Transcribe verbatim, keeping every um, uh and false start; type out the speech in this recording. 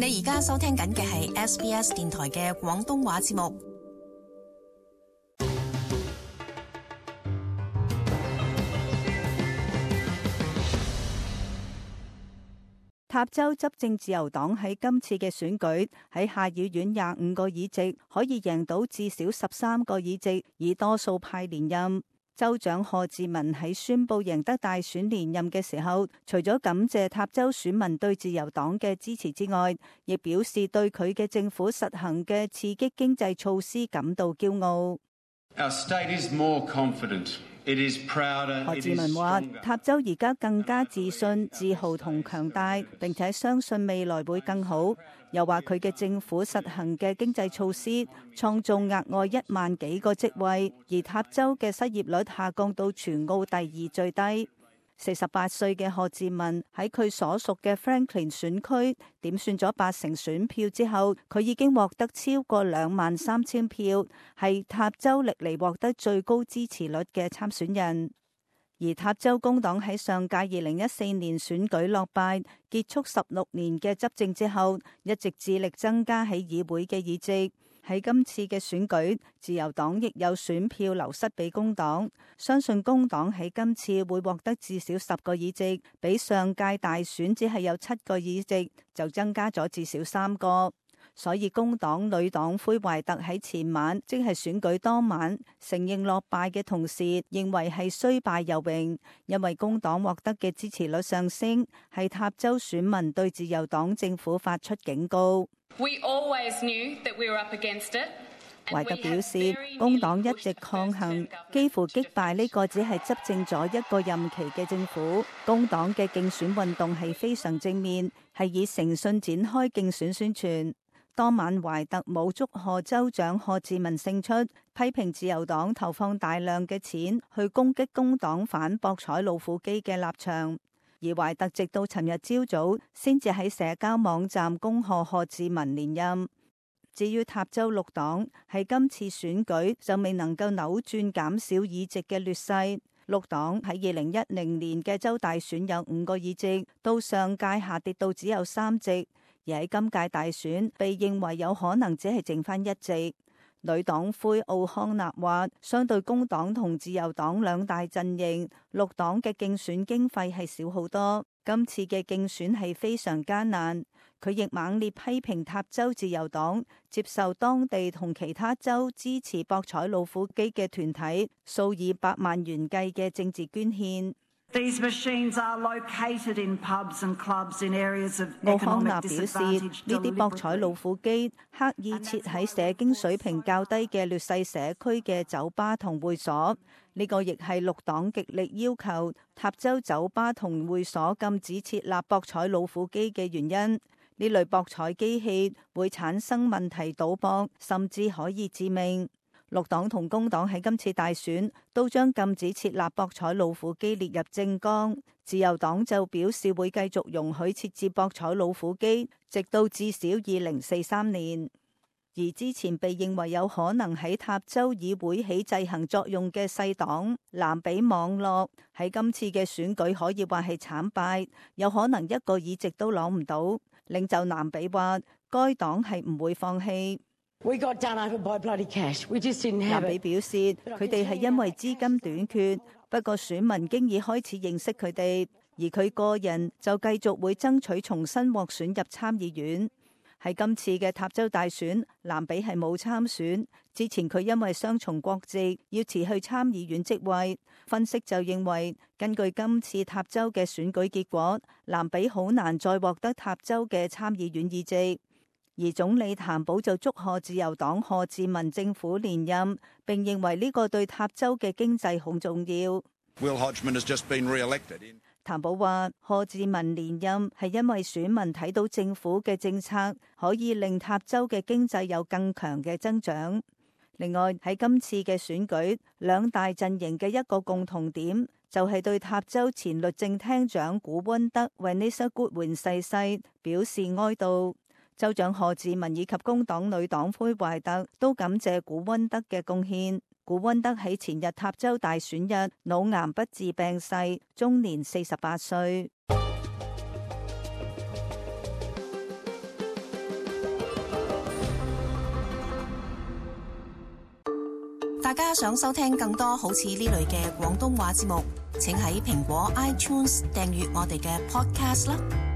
你而家收聽緊嘅係 S B S 電台嘅廣東話節目。塔州執政自由黨喺今次嘅選舉喺下議院廿五個議席可以贏到至少十三個議席，以多數派連任。州長賀志文喺宣布贏得大選連任嘅時候，除咗感謝塔州選民對自由黨嘅支持之外，亦表示對佢嘅政府實行嘅刺激經濟措施感到驕傲。Our state is more confident. It is prouder. 何志文話：塔州而家更加自信、自豪同強大，並且相信未來會更好。又話佢嘅政府實行嘅經濟措施，創造額外一萬幾個職位，而塔州嘅失業率下降到全澳第二最低。四十八歲嘅賀志文喺佢所屬嘅 Franklin 選區點算咗八成選票之後，佢已經獲得超過兩萬三千票，係塔州歷嚟獲得最高支持率嘅參選人。而塔州工黨喺上屆二零一四年選舉落敗，結束十六年嘅執政之後，一直致力增加喺議會嘅議席。喺今次嘅選舉，自由黨亦有選票流失俾工黨，相信工黨喺今次會獲得至少十個議席，比上屆大選只係有七個議席，就增加咗至少三個。所以工黨女黨魁懷特喺前晚，即係選舉當晚，承認落敗嘅同時，認為係雖敗猶榮，因為工黨獲得嘅支持率上升，係塔州選民對自由黨政府發出警告。We always knew that we were up against it. 懷特表示，工黨一直抗衡，幾乎擊敗呢個只係執政咗一個任期嘅政府。工黨嘅競選運動係非常正面，係以誠信展開競選宣傳。當晚懷特冇祝賀州長賀志文勝出，批評自由黨投放大量嘅錢去攻擊工黨反博彩老虎機嘅立場。而懷特直到尋日朝早先至喺社交網站恭賀賀志文連任。至於塔州綠黨喺今次選舉就未能夠扭轉減少議席嘅劣勢。綠黨喺二零一零年嘅州大選有五個議席，到上屆下跌到只有三席，而喺今屆大選被認為有可能只係剩翻一席。女黨魁奧康納話，相對工黨同自由黨兩大陣營，綠黨嘅競選經費係少好多，今次嘅競選係非常艱難。佢亦猛烈批評塔州自由黨接受當地同其他州支持博彩老虎機嘅團體數以百萬元計嘅政治捐獻。These machines are located in pubs and clubs in areas of 奧康 economic 納表示， disadvantage. 呢啲博彩老虎機刻意設喺社經水平較低嘅劣勢社區嘅酒吧同會所，呢個亦係綠黨極力要求塔州酒吧同會所禁止設立博彩老虎機嘅原因。呢類博彩機器會產生問題賭博，甚至可以致命。綠黨同工黨喺今次大選都將禁止設立博彩老虎機列入政綱，自由黨就表示會繼續容許設置博彩老虎機，直到至少二零四三年。而之前被認為有可能喺塔州議會起制衡作用嘅細黨藍比網絡，喺今次嘅選舉可以話係慘敗，有可能一個議席都攞唔到。領袖藍比話，該黨係唔會放棄。We got done over by bloody cash. We just didn't have it. 藍比表示，佢哋係因為資金短缺，不過選民經已開始認識佢哋，而佢個人就繼續會爭取重新獲選入參議院。喺今次嘅塔州大選，藍比係冇參選。之前佢因為雙重國籍要辭去參議院職位。分析就認為，根據今次塔州嘅選舉結果，藍比好難再獲得塔州嘅參議院議席。而總理譚寶就祝賀自由黨賀志文政府連任，並認為呢個對塔州嘅經濟好重要。Will Hodgman has just been re-elected. 譚寶話，賀志文連任係因為選民睇到政府嘅政策可以令塔州嘅經濟有更強嘅增長。另外喺今次嘅選舉，兩大陣營嘅一個共同點就係對塔州前律政廳長古溫德 Vanessa Goodwin 逝世表示哀悼。州長賀志文以及工黨女黨魁懷特都感謝古溫德嘅貢獻。古溫德喺前日塔州大選日腦癌不治病逝，終年四十八歲。大家想收聽更多好似呢類嘅廣東話節目，請喺蘋果 iTunes 訂閱我哋嘅 podcast 啦。